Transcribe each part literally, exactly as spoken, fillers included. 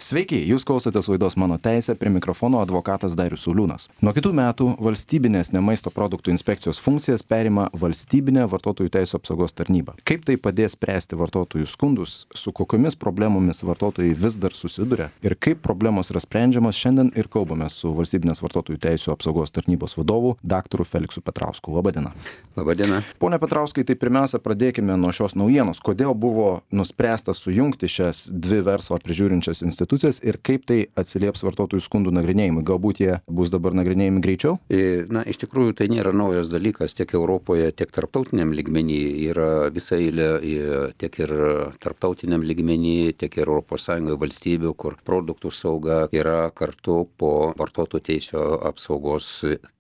Sveiki, jūs klausotės laidos Mano teisė, prie mikrofono advokatas Darius Sauliūnas. Nuo kitų metų valstybinės nemaisto produktų inspekcijos funkcijas perima valstybinė vartotojų teisų apsaugos tarnyba. Kaip tai padės spręsti vartotojų skundus, su kokiomis problemomis vartotojai vis dar susiduria ir kaip problemos yra sprendžiamas, šiandien ir kalbame su valstybinės vartotojų teisų apsaugos tarnybos vadovu daktaru Feliksu Petrausku. Labadiena. Labadiena. Pone Petrauskai, tai pirmiausia pradėkime nuo šios naujienos. Kodėl buvo nuspręsta sujungti šias dvi verslo prižiūrinčias institucijas ir kaip tai atsilieps vartotojų skundų nagrinėjimui? Galbūt jie bus dabar nagrinėjami greičiau? Na, iš tikrųjų, tai nėra naujas dalykas tiek Europoje, tiek tarptautiniam lygmenį. Yra visa eilė tiek ir tarptautiniam lygmenį, tiek ir Europos Sąjungoje valstybių, kur produktų sauga yra kartu po vartotojų teisų apsaugos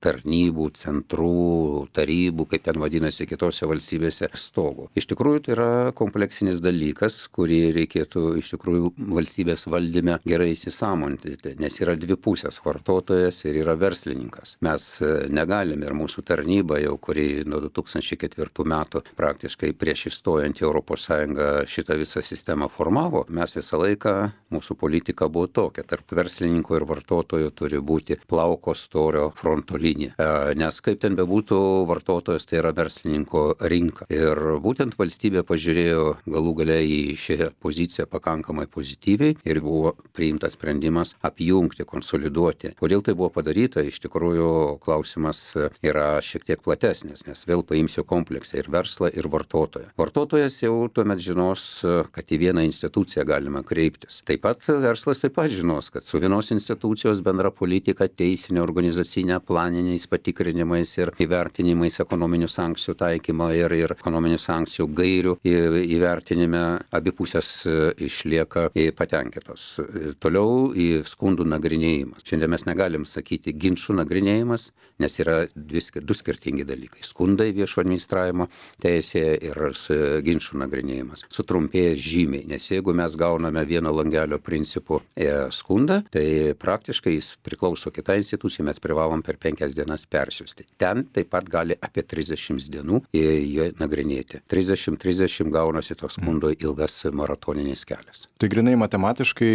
tarnybų, centrų, tarybų, kaip ten vadinasi kitose valstybėse, stogų. Iš tikrųjų, tai yra kompleksinis dalykas, kurį reikėtų iš tikrųjų valstybės valdyti gerai įsisąmoninti, nes yra dvi pusės - vartotojas ir yra verslininkas. Mes negalime ir mūsų tarnyba jau, kuri nuo du tūkstančiai ketvirtų metų praktiškai prieš įstojant į Europos Sąjungą šitą visą sistemą formavo, mes visą laiką, mūsų politika buvo tokia, tarp verslininko ir vartotojo turi būti plauko storio fronto linija. Nes kaip ten bebūtų, vartotojas tai yra verslininko rinka. Ir būtent valstybė pažiūrėjo galų gale į šią poziciją pakankamai pozityviai ir buvo priimtas sprendimas apjungti, konsoliduoti. Kodėl tai buvo padaryta? Iš tikrųjų, klausimas yra šiek tiek platesnis, nes vėl paimsiu kompleksą ir verslą, ir vartotoją. Vartotojas jau tuomet žinos, kad į vieną instituciją galima kreiptis. Taip pat verslas taip pat žinos, kad su vienos institucijos bendra politika, teisinė, organizacinė, planiniais patikrinimais ir įvertinimais ekonominių sankcijų taikymo ir, ir ekonominių sankcijų gairių įvertinime abi pusės išlieka patenkintos. Toliau į skundų nagrinėjimas. Šiandien mes negalim sakyti ginčų nagrinėjimas, nes yra dvi, du skirtingi dalykai. Skundai viešo administravimo teisėje ir ginčų nagrinėjimas. Sutrumpėja žymiai, nes jeigu mes gauname vieno langelio principų skundą, tai praktiškai jis priklauso kitai institucijai, mes privalom per penkias dienas persiųsti. Ten taip pat gali apie trisdešimt dienų jį nagrinėti. trisdešimt trisdešimt gaunasi toks skundo ilgas maratoninis kelias. Tai grinai matematiškai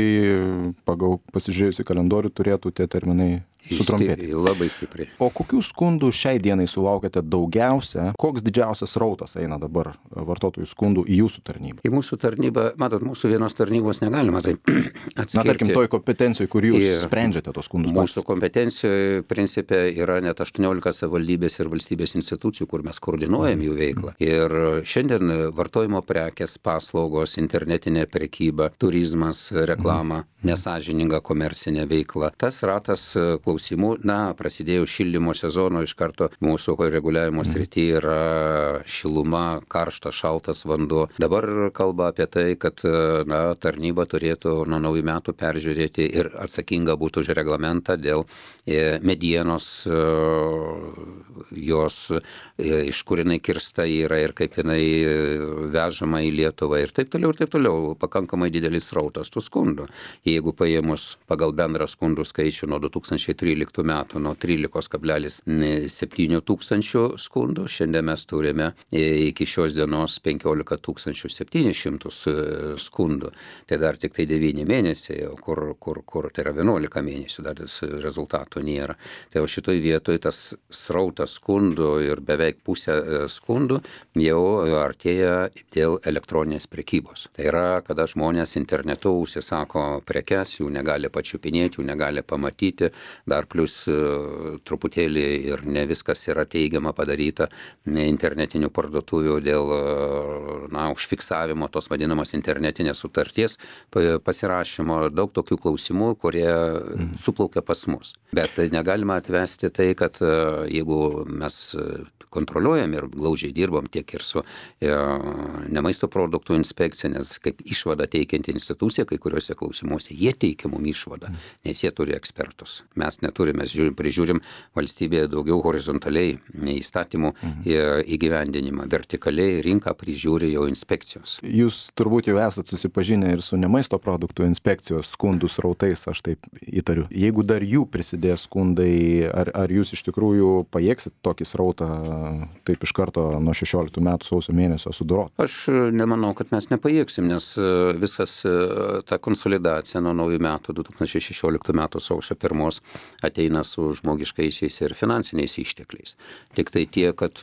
pagal pasižiūrėjus į kalendorių turėtų tie terminai sutrumpėti. Labai stipriai. O kokių skundų šiai dienai sulaukėte daugiausia? Koks didžiausias rautas eina dabar vartotojų skundų į jūsų tarnybą? Į mūsų tarnybą, matot, mūsų vienos tarnybos negalima tai atskirti. Na, tarkim, toj kompetencijoje, kur jūs ir sprendžiate tos skundus. Mūsų kompetencijoje principe yra net aštuoniolika savivaldybės ir valstybės institucijų, kur mes koordinuojam jų veiklą. Ir šiandien vartojimo prekės, paslaugos, internetinė prekyba, turizmas, reklama, nesąžininga komercinė veikla. Tas ratas klausimų, na, prasidėjo šildymo sezono, iš karto mūsų reguliavimo srityje yra šiluma, karštas, šaltas vanduo. Dabar kalba apie tai, kad, na, tarnyba turėtų nuo naujų metų peržiūrėti ir atsakinga būtų už reglamentą dėl medienos, jos, iš kur jinai kirsta yra ir kaip jinai vežama į Lietuvą ir taip toliau ir taip toliau. Pakankamai didelis rautas tų skundų. Jeigu paėmus pagal bendrą skundų skaičių nuo du tūkstančiai tryliktų metų, nuo trylika kablelis septyni tūkstančių skundų, šiandien mes turime iki šios dienos penkiolika tūkstančių septynis šimtus skundų. Tai dar tik tai devyni mėnesiai, kur, kur, kur tai yra vienuolika mėnesių, dar rezultatų nėra. Tai o šitoj vietoj tas srautas skundų ir beveik pusė skundų jau artėja dėl elektroninės prekybos. Tai yra, kada žmonės internetu užsisako prekes, jų negali pačiupinėti, jų negali pamatyti, dar plus truputėlį ir ne viskas yra teigiama padaryta internetinių parduotuvių dėl, na, užfiksavimo tos vadinamos internetinės sutarties pasirašymo, daug tokių klausimų, kurie suplaukia pas mus. Bet negalima atvesti tai, kad jeigu mes kontroliuojam ir glaudžiai dirbam tiek ir su e, nemaisto produktų inspekcija, nes kaip išvada teikianti institucija, kai kuriuose klausimuose jie teikia mum išvadą, nes jie turi ekspertus. Mes neturime, mes žiūrim, prižiūrim valstybėje daugiau horizontaliai įstatymų mhm. įgyvendinimą, vertikaliai rinką prižiūri jau inspekcijos. Jūs turbūt jau esat susipažinę ir su nemaisto produktų inspekcijos skundų srautais, aš taip įtariu. Jeigu dar jų prisidės skundai, ar, ar jūs iš tikrųjų pajėgsit tokį srautą taip iš karto nuo šešioliktų metų sausio mėnesio sudorot? Aš nemanau, kad mes nepajėgsim, nes visas ta konsolidacija nuo naujų metų, du tūkstančiai šešioliktų metų sausio pirmos ateina su žmogiškaisiais ir finansiniais ištekliais. Tik tai tie, kad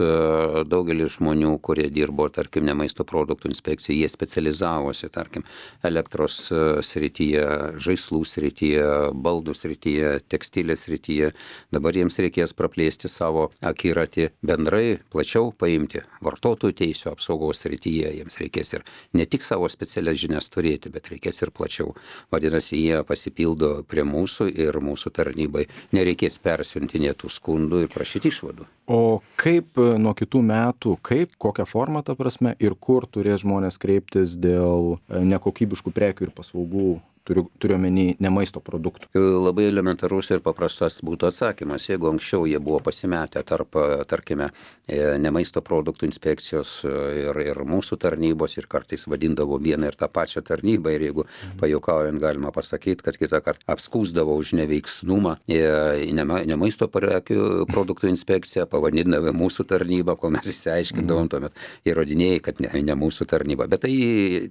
daugelis žmonių, kurie dirbo, tarkim, ne maisto produktų inspekcijai, jie specializavosi, tarkim, elektros srityje, žaislų srityje, baldų srityje, tekstilės srityje. Dabar jiems reikės praplėsti savo akiratį bendrai, plačiau paimti vartotojų teisių apsaugos srityje. Jiems reikės ir ne tik savo specialias žinias turėti, bet reikės ir plačiau. Vadinasi, jie pasipildo prie mūsų ir mūsų tarnybai nereikės persiuntinėti tų skundų ir prašyti išvadų. O kaip nuo kitų metų, kaip, kokią formą ta prasme ir kur turės žmonės kreiptis dėl nekokybiškų prekių ir paslaugų, turiu, turiu omeny ne maisto produktų? Labai elementarus ir paprastas būtų atsakymas. Jeigu anksčiau jie buvo pasimetę tarp, tarkime, ne maisto produktų inspekcijos ir, ir mūsų tarnybos ir kartais vadindavo vieną ir tą pačią tarnybą ir jeigu mhm. pajuokaujant galima pasakyti, kad kitą kartą apskūsdavo už neveiksnumą ne maisto produktų inspekciją, pavadindavo mūsų tarnybą, kol mes įsiaiškindavom mhm. tuomet įrodinėjai, kad ne, ne mūsų tarnyba. Bet tai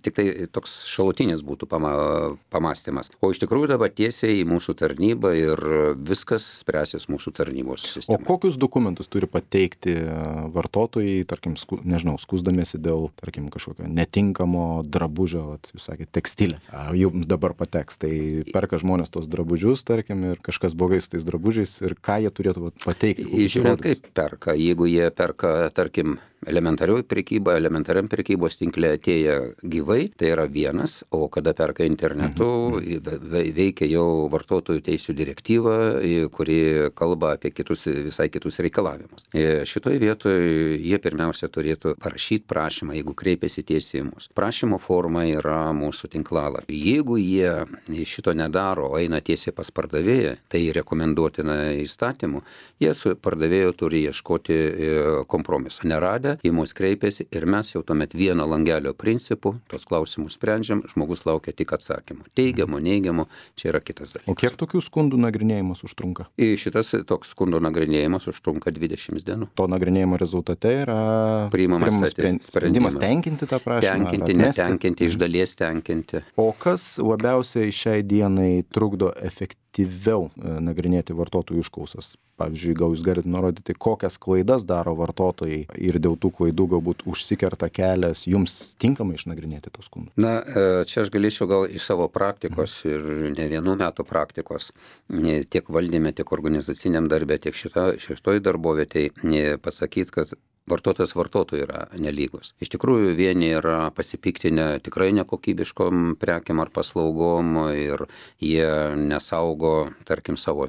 tik tai toks šalutinis būtų pama, pamastymas. O iš tikrųjų dabar tiesiai į mūsų tarnybą ir viskas spręsis mūsų tarnybos sistema. O kokius dokumentus turi pateikti vartotojai, tarkim, sku, nežinau, skųsdamėsi dėl, tarkim, kažkokio netinkamo drabužio, vat, jūs sakėte, tekstilė. Jums dabar pateks, tai perka žmonės tos drabužius, tarkim, ir kažkas blogai su tais drabužiais ir ką jie turėtų vat, pateikti? Žiūrėk, kaip perka. Jeigu jie perka, tarkim, elementarioj prekyba, elementariam prekybos tinkle atėję gyvai, tai yra vienas, o kada perka internetu, mhm. veikia jau vartotojų teisių direktyva, kuri kalba apie kitus, visai kitus reikalavimus. Šitoje vietoje jie pirmiausia turėtų parašyti prašymą, jeigu kreipiasi tiesiai į mus. Prašymo forma yra mūsų tinklalapy. Jeigu jie šito nedaro, eina tiesiai pas pardavėją, tai rekomenduotina įstatymu, jie su pardavėju turi ieškoti kompromiso. Neradę, į mus kreipiasi ir mes jau tuomet vieno langelio principu tos klausimus sprendžiam, žmogus laukia tik atsakymų. Teigiamų, neigiamų, čia yra kitas dalykas. O kiek tokių skundų nagrinėjimas užtrunka? Šitas toks skundų nagrinėjimas užtrunka dvidešimt dienų. To nagrinėjimo rezultate yra priimamas sprendimas, sprendimas tenkinti tą prašymą? Tenkinti, netenkinti, iš dalies tenkinti. O kas labiausiai šiai dienai trukdo efektyviau nagrinėti vartotojų užklausas? Pavyzdžiui, gal jūs galite nurodyti, kokias klaidas daro vartotojai ir dėl tų klaidų galbūt užsikerta kelias jums tinkamai išnagrinėti tos skundus? Na, čia aš galėčiau gal iš savo praktikos ir ne vienų metų praktikos, tiek valdyme, tiek organizaciniam darbė, tiek šito, šitoj darbovietėj pasakyti, kad vartotojas vartotojų yra nelygus. Iš tikrųjų, vieni yra pasipiktinę tikrai nekokybiškom prekiam ar paslaugom ir jie nesaugo, tarkim, savo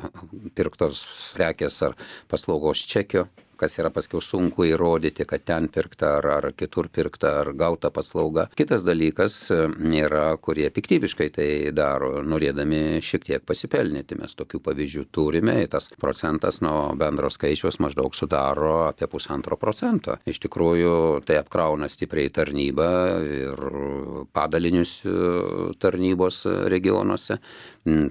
pirktos prekės ar paslaugos čekio, kas yra paskiau sunku įrodyti, kad ten pirkta ar, ar kitur pirkta ar gauta paslauga. Kitas dalykas yra, kurie piktybiškai tai daro, norėdami šiek tiek pasipelnyti. Mes tokių pavyzdžių turime, tas procentas nuo bendro skaičiaus maždaug sudaro apie pusantro procento. Iš tikrųjų, tai apkrauna stipriai tarnybą ir padalinius tarnybos regionuose.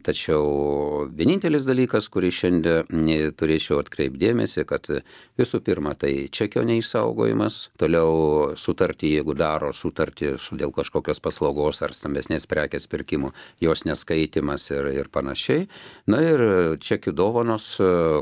Tačiau vienintelis dalykas, kurį šiandien turėčiau atkreipdėmėsi, kad visų pirma, tai čekio neišsaugojimas, toliau sutartį, jeigu daro sutartį dėl kažkokios paslaugos ar stambesnės prekės pirkimo, jos neskaitimas ir, ir panašiai. Na ir čekių dovanos,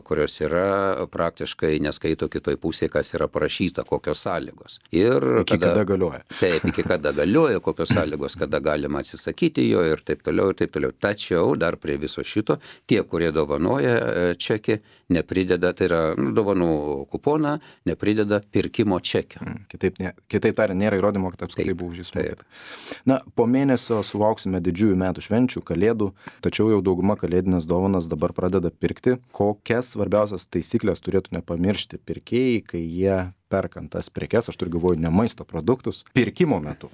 kurios yra praktiškai neskaito kitoj pusėje, kas yra parašyta, kokios sąlygos. Ir iki kada, kada galioja. Taip, iki kada galioja, kokios sąlygos, kada galima atsisakyti jo ir taip toliau, ir taip toliau. Tačiau dar prie viso šito, tie, kurie dovanoja čekį, neprideda, tai yra nu, dovanų kuponą, neprideda pirkimo čekio. Mm, kitaip, ne, kitaip tariant, nėra įrodymo, kad apskritai buvo už jį sumokėta. Na, po mėnesio sulauksime didžiųjų metų švenčių, kalėdų, tačiau jau dauguma kalėdinės dovanas dabar pradeda pirkti. Kokias svarbiausias taisyklės turėtų nepamiršti pirkėjai, kai jie perkant tas prekes, aš turiu galvoju ne maisto produktus, pirkimo metu?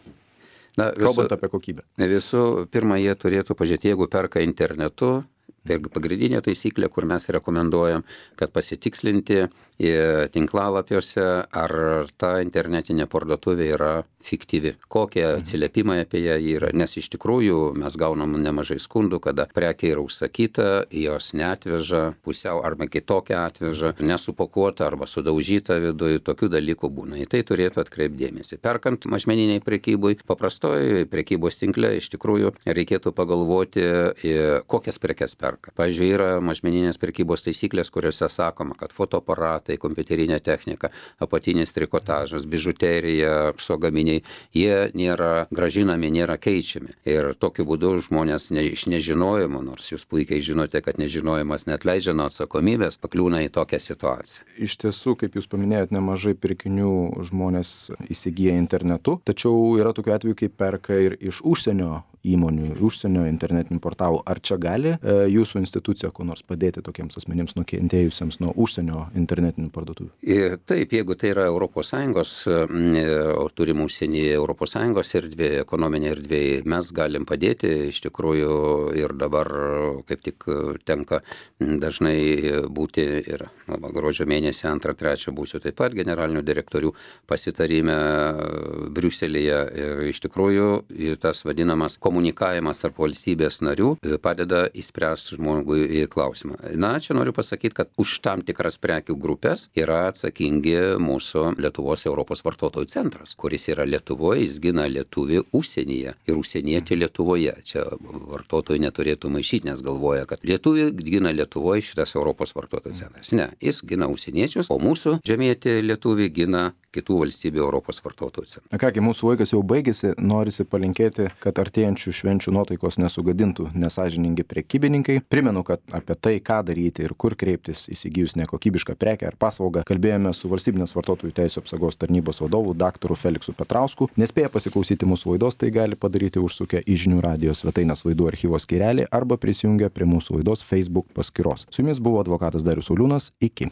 Na, kalbant apie kokybę. Visų pirma, jie turėtų pažiūrėti, jeigu perka internetu, Tai pagrindinė taisyklė, kur mes rekomenduojam, kad pasitikslinti tinklalapiuose, ar ta internetinė parduotuvė yra fiktyvi, kokie atsiliepimai apie ją yra, nes iš tikrųjų mes gaunam nemažai skundų, kada prekia yra užsakyta, jos neatveža, pusiau arba kitokią atveža, nesupakuota arba sudaužyta viduje, tokių dalykų būna. Į tai turėtų atkreipti dėmesį. Perkant mažmeniniai prekybui, paprastoji prekybos tinkle iš tikrųjų reikėtų pagalvoti, kokias prekes perka. Pavyzdžiui, yra mažmeninės prekybos taisyklės, kuriuose sakoma, kad fotoaparatai, kompiuterinė technika, apatinis trikotažas, bižuterija, psogaminiai, jie nėra gražinami, nėra keičiami. Ir tokiu būdu žmonės ne, iš nežinojimo, nors jūs puikiai žinote, kad nežinojimas neatleidžia nuo atsakomybės, pakliūna į tokią situaciją. Iš tiesų, kaip jūs paminėjot, nemažai pirkinių žmonės įsigyja internetu, tačiau yra tokių atvejų, kai perka ir iš užsienio įmonių, užsienio internetinių portalų. Ar čia gali e, jūsų institucija ko nors padėti tokiems asmenims nukentėjusiems nuo užsienio internetinių parduotuvių? Ir taip, jeigu tai yra Europos Sąjungos, o turim užsienį Europos Sąjungos erdvė, ekonominė erdvė, mes galim padėti iš tikrųjų ir dabar kaip tik tenka dažnai būti ir gruodžio mėnesį antrą, trečią būsiu taip pat generalinių direktorių pasitarime Briuselyje. Ir iš tikrųjų tas vadinamas komunikavimas tarp valstybės narių padeda įspręsti žmogui klausimą. Na, čia noriu pasakyti, kad už tam tikras prekių grupės yra atsakingi mūsų Lietuvos Europos vartotojų centras, kuris yra Lietuvoje, jis gina lietuvį užsienyje ir užsienietį Lietuvoje. Čia vartotojai neturėtų maišyti, nes galvoja, kad lietuvį gina Lietuvoje šitas Europos vartotojų centras. Ne, jis gina užsieniečius, o mūsų žemėti lietuvį gina kitų valstybių Europos vartotojų centras. Na kągi, mūsų laikas jau baigėsi, norisi palinkėti, kad artėjančių švenčių nuotaikos nesugadintų nesąžiningi prekybininkai. Primenu, kad apie tai, ką daryti ir kur kreiptis įsigijus nekokybišką prekę ar paslaugą, kalbėjome su Valstybinės vartotojų teisių apsaugos tarnybos vadovu daktaru Feliksu Petrausku. Nespėję pasiklausyti mūsų laidos, tai gali padaryti užsukę į žinių radijo svetainės laidų archyvo skyrelį arba prisijungę prie mūsų laidos Facebook paskyros. Su jumis buvo advokatas Darius Sauliūnas. Iki.